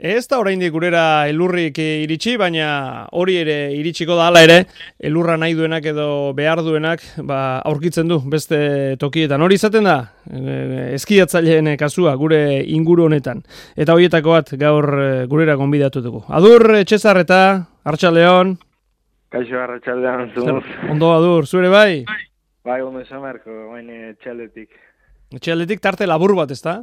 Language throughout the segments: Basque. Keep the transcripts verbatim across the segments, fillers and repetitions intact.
Ez da oraindik gurera elurrik iritsi, baina hori ere iritsiko da hala ere, elurra nahi duenak edo behar duenak ba, aurkitzen du beste tokietan. Hori izaten da, eskiatzaileen kasua gure inguru honetan. Eta horietako bat gaur gurera gonbidatu dugu. Adur, Txezar eta Arratsaldeon. Kaixo, Arratsaldeon, zumuz. Ondo, Adur, zure bai? Bai, ondo esan beharko, baina etxaldetik. Etxaldetik tarte labur bat, ez da?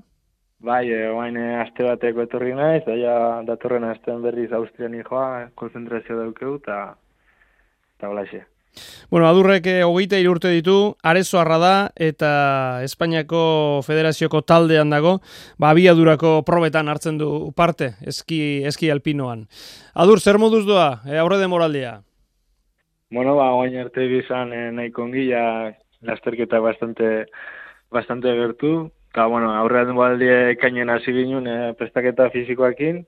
Bai, oain aste bateko etorri naiz, daia datorren astean berriz Austrian joa, konzentrazio daukeu, eta eta holaxe. Bueno, Adurrek hogeita hiru urte ditu, Arezoarra da, eta Espainiako Federazioko taldean dago, ba, abiadurako probetan hartzen du parte, eski, eski alpinoan. Adur, zer moduz doa, e, aurre demoraldia? Bueno, ba, oain arte bizan eh, nahiko ongi, ja, lasterketa bastante, bastante gertu, eta, bueno, aurrean baldie ekainen hasi ginen eh, prestaketa fizikoakin,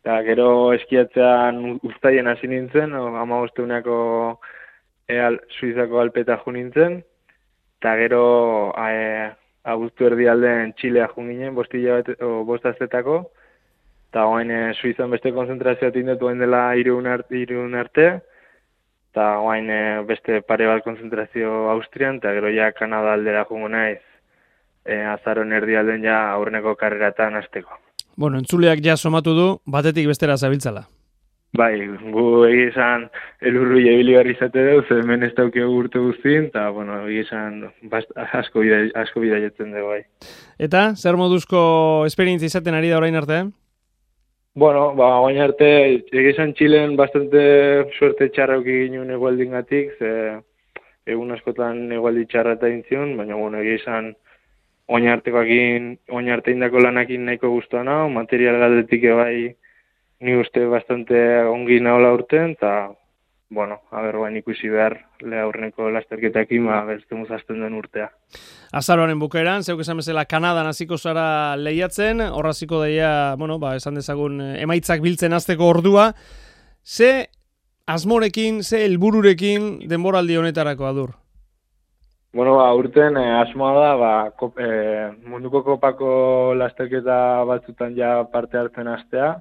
eta gero eskiatzean uztaien hasi nintzen, hamabosteuneko e, al, Suizako alpeta jo nintzen, eta gero e, abuztu erdi aldean Txilea jo ginen, bost azetako, eta oain e, Suizan beste konzentrazioa tindetu oain dela irun arte, arte eta oain e, beste pare bat konzentrazio Austrian, eta gero ja Kanada aldera jongo naiz, E, azaron erdialden ja aurreneko karreratan hasteko. Bueno, entzuleak ja somatu du, batetik bestera zabiltzala. Bai, gu egizan elurru jebili barri zate dut, hemen ez dauke urte guztien, eta, bueno, egizan asko bida, asko bida jetzen dugu, bai. Eta, zer moduzko esperientzia izaten ari da orain arte? Bueno, ba, orain arte, egizan Txilen bastante suerte txarrauki ginen egualdingatik, ze egun askotan egualdi txarra eta intzion, baina, bueno, egizan oin artekoakin, oin arte indako lanakin nahiko guztua nao, material galdetik bai ni uste bastante ongi naola urten, eta, bueno, haber bain ikusi behar le aurreneko lasterketakin, ba, bestemuz azten den urtea. Azaroaren bukaeran, zeuk esan bezala Kanadan hasiko zara lehiatzen, hor hasiko daia, bueno, ba, esan dezagun emaitzak biltzen hasteko ordua. Ze asmorekin, ze helbururekin denboraldi honetarako, Adur? Bueno, ba, urten eh, asmoa da, ba, kop, eh, munduko kopako lasterketa batzutan ja parte hartzen hastea.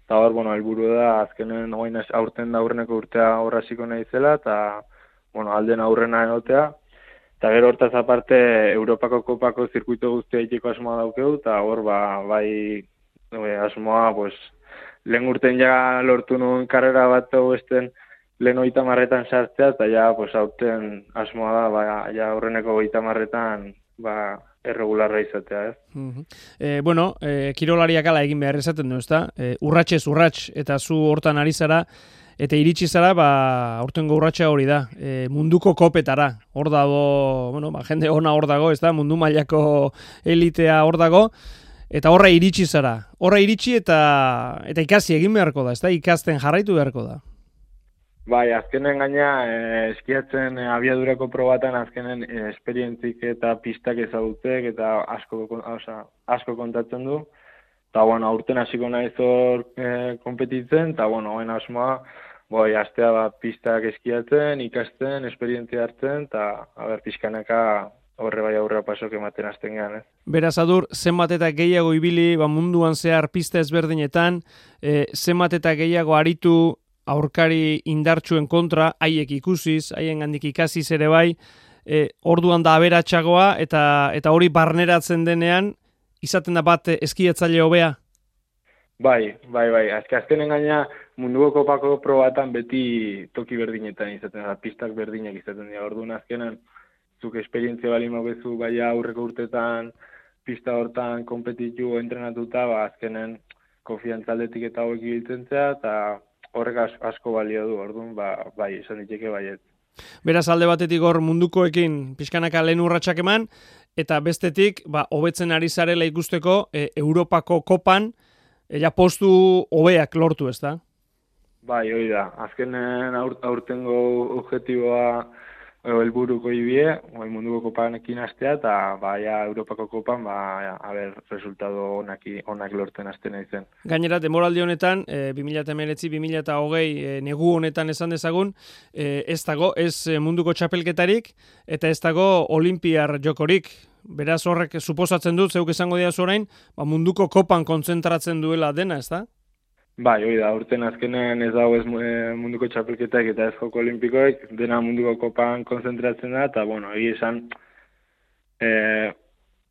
Eta hor, bueno, helburu da, azkenen oain aurten da aurreneko urtea horraziko nahi zela, eta, bueno, alden aurrena egotea. Eta gero hortaz aparte, Europako kopako zirkuito guztia itiko asmoa daukeu, eta hor, ba, bai, e, asmoa, pues, lehen urten ja lortu nuen karrera bat esten, lehen oita marretan sartzea, eta ja, pues, aurten asmoa da, ba, ja, aurreneko oita marretan, ba, erregularra izatea, ez? Uh-huh. eh, bueno, eh, kirolariak ala egin behar esaten du, ezta? Eh, urratxez urratx, eta zu hortan ari zara, eta iritsi zara, ba, aurtengo urratxa hori da, eh, munduko kopetara, hor dago, bueno, ba, jende ona hor dago, ezta? Mundu mailako elitea hor dago, eta horra iritsi zara. Horra iritsi eta eta ikasi egin beharko da, ezta? Ikasten jarraitu beharko da. Bai, azkenen gaina, eh, eskiatzen eh, abiadurako probatan azkenen eh, esperientzik eta pistak ezagutzek eta asko, oza, asko kontatzen du. Eta, bueno, aurten hasiko naiz hor eh, kompetitzen, eta, bueno, hain asmoa, boi, astea ba, pistak eskiatzen, ikasten, esperientzia hartzen, eta, haber, pixkanaka horre bai aurrera pasok ematen azten gehan, ez? Beraz, Adur, zenbat eta gehiago ibili, ba, munduan zehar pista ezberdinetan, eh, zenbat eta gehiago aritu, aurkari indartsuen kontra, haiek ikusiz, haien gandik ikasiz ere bai, e, orduan da aberatsagoa eta eta hori barneratzen denean, izaten da bat eskiatzaile hobea? Bai, bai, bai. Azke azkenen gaina munduko kopako probatan beti toki berdinetan izaten da, pistak berdinak izaten dira. Orduan azkenen, zuk esperientzia bali mogezu, bai aurreko urtetan, pista hortan kompetitu entrenatuta, ba, azkenen konfiantzaldetik eta hauek ibiltzen zea, eta horrek asko balio du, orduan, ba, bai, esan diteke baiet. Beraz, alde batetik hor mundukoekin pixkanaka lehen urratsak eman, eta bestetik, ba, hobetzen ari zarela ikusteko, e, Europako kopan, ja postu hobeak lortu, ez da? Bai, hori da. Azkenen aur, aurtengo objetiboa helburuko ibie, bai munduko kopanekin hastea eta baia Europako kopan ba a ber resultado onak onak lortzen hasten naizen. Gainera denboraldi honetan e, bi mila hemeretzi bi mila hogei e, negu honetan esan dezagun e, ez dago ez munduko txapelketarik eta ez dago olimpiar jokorik. Beraz horrek suposatzen dut zeuk esango diazu orain, ba munduko kopan kontzentratzen duela dena, ezta? Bai, hori da, urten azkenean ez dago ez munduko txapelketak eta ez joko olimpikoek, dena munduko kopan konzentratzen da, eta, bueno, egia esan, e,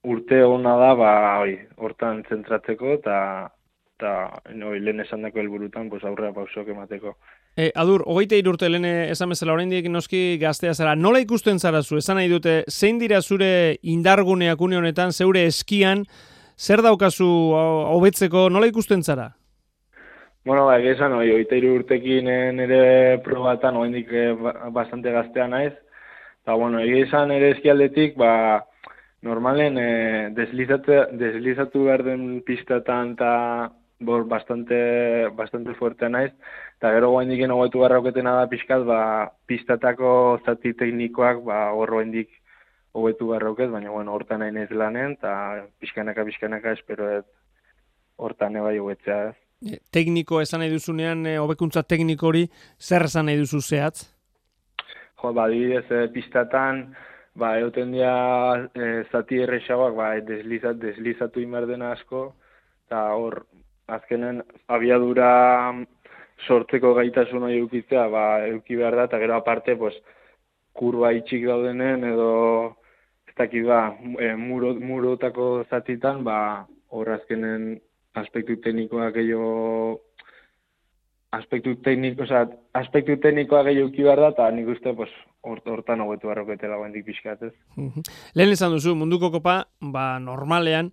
urte hona da, ba, hori, hortan zentratzeko, eta, eta hori, lehen esan dako helburutan, pues, aurrera pausok emateko. E, adur, hogeita hiru urte lehen esan bezala oraindik noski gaztea zara, nola ikusten zara zu, esan nahi dute, zein dira zure indarguneak une honetan, zeure eskian, zer daukazu hobetzeko, nola ikusten zara? Bueno, ba, esan, oi, oita hiru urtekin nire probatan, oendik eh, bastante gaztea naiz. Eta, bueno, esan ere eskialdetik, ba, normalen eh, deslizatu behar den pistatan eta bor, bastante, bastante fuertea naiz. Eta gero oendiken hogetu garrauketena da pixkat, ba, pistatako zati teknikoak, ba, hor oendik hogetu garrauket, baina, bueno, hortan nahi naiz lanen, eta pixkanaka, pixkanaka, espero ez hortan ebai hogetzea ez. Tekniko esan nahi duzunean, hobekuntza tekniko hori, zer esan nahi duzu zehatz? Jo, ba, dibidez, e, pistatan, ba, egoten dira e, zati errexagoak, ba, deslizat, deslizatu imar dena asko, eta hor, azkenen, abiadura sortzeko gaitasun hori eukitzea, ba, euki behar da, eta gero aparte, pues, kurba itxik daudenen, edo, ez dakit, ba, e, muro, murotako zatitan, ba, hor azkenen, aspektu teknikoa gehiago aspektu tekniko, oza, aspektu teknikoa gehiago uki behar da, eta nik uste, pues, hortan hobetu barroketela guendik pixkatez. Lehen esan duzu, munduko kopa, ba, normalean,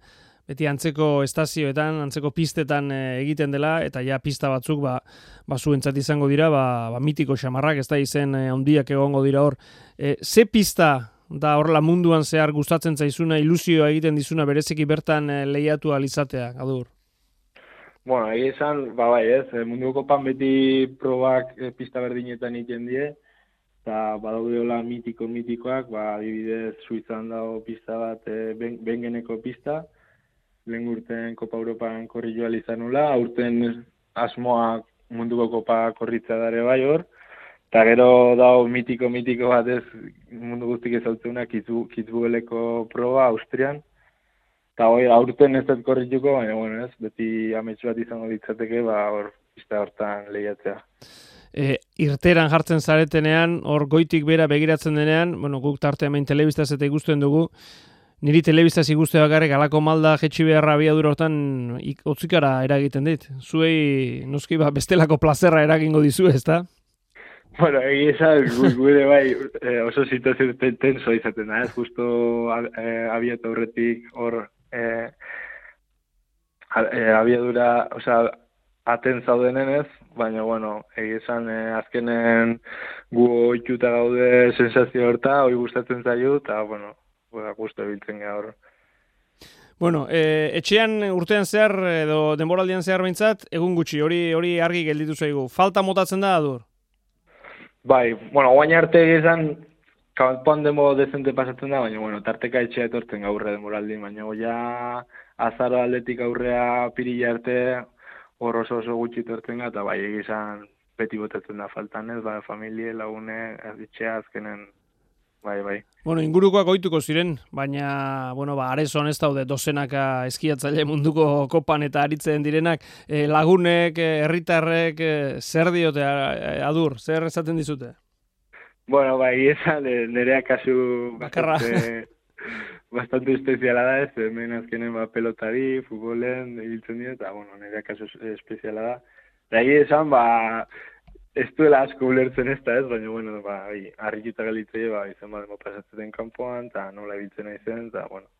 beti antzeko estazioetan, antzeko pistetan e, egiten dela, eta ja pista batzuk, ba, ba zuentzat izango dira, ba, ba mitiko xamarrak, ez da izen e, handiak egongo dira hor. E, ze pista da horrela munduan zehar gustatzen zaizuna, ilusioa egiten dizuna, bereziki bertan e, lehiatu alizatea, Adur? Bueno, egia esan, ba bai ez, munduko kopan beti probak e, pista berdinetan egiten die, eta badaudeola mitiko-mitikoak, ba, adibidez, Suizan dago pista bat, e, ben, bengeneko pista, lehen urten Kopa Europan korri joa izanula, urten asmoa munduko kopa korritza dare bai hor, eta gero dago mitiko-mitiko bat ez mundu guztik ezautzuna, Kitzbüheleko proba, Austrian, eta hori, aurten ez dut korrituko, baina, bueno, ez, beti ametsu bat izango ditzateke, ba, hor, pista hortan lehiatzea. E, irteran jartzen zaretenean, hor goitik bera begiratzen denean, bueno, guk tarte hemen telebistaz eta ikusten dugu, niri telebistaz ikuste bakarrik alako malda jetxi beharra abiadura hortan otzikara eragiten dit. Zuei, noski, ba, bestelako plazerra eragingo dizu, ezta? Bueno, egia esan, gure bai oso situazio tenso izaten da, ez, justo abiatu horretik hor, Eh, abiadura, osea, aten zaudenen ez, baina, bueno, egia esan, eh, azkenen gu oituta gaude sensazio horta, hori gustatzen zaiu, eta, bueno, gustu ebiltzen gara hor. Bueno, eh, etxean urtean zehar, edo denboraldian zehar behintzat, egun gutxi, hori hori argi gelditu zaigu. Falta motatzen da, Adur? Bai, bueno, guain arte egizan, kanpoan demo dezente pasatzen da, baina, bueno, tarteka etxea etortzen gaurre denboraldi, baina, ja, azaro aldetik aurrea pirila arte, hor oso oso gutxi etortzen ga, eta bai, egizan beti botatzen da faltan ez, bai, familie, lagune, etxea azkenen, bai, bai. Bueno, ingurukoak ohituko ziren, baina, bueno, ba, arezon ez daude dozenaka eskiatzaile munduko kopan eta aritzen direnak, e, lagunek, herritarrek, e, zer diote, Adur, zer esaten dizute? Bueno, bai, esan, nerea kasu bakarra bastante, bastante espeziala da ez, hemen azkenen ba, pelotari, futbolen, ibiltzen dira, eta, bueno, nerea kasu espeziala da. Da, esan, ba, ez duela asko ulertzen ez da ez, baina, bueno, ba, harrituta galitzei, ba, izan ba, demo pasatzen kanpoan, eta nola ibiltzen nahi zen, eta, bueno.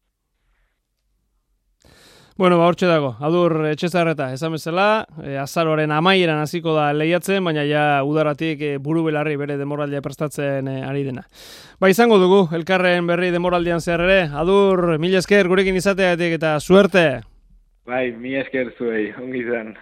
Bueno, ba, hortxe dago, Adur Etxezarreta, esan bezala, e, azaroaren amaieran hasiko da lehiatzen, baina ja udaratik e, buru belarri bere demoraldia prestatzen e, ari dena. Ba, izango dugu, elkarren berri demoraldian zehar ere, Adur, mila esker gurekin izateatik eta suerte! Bai, mila esker zuei, ongi zen.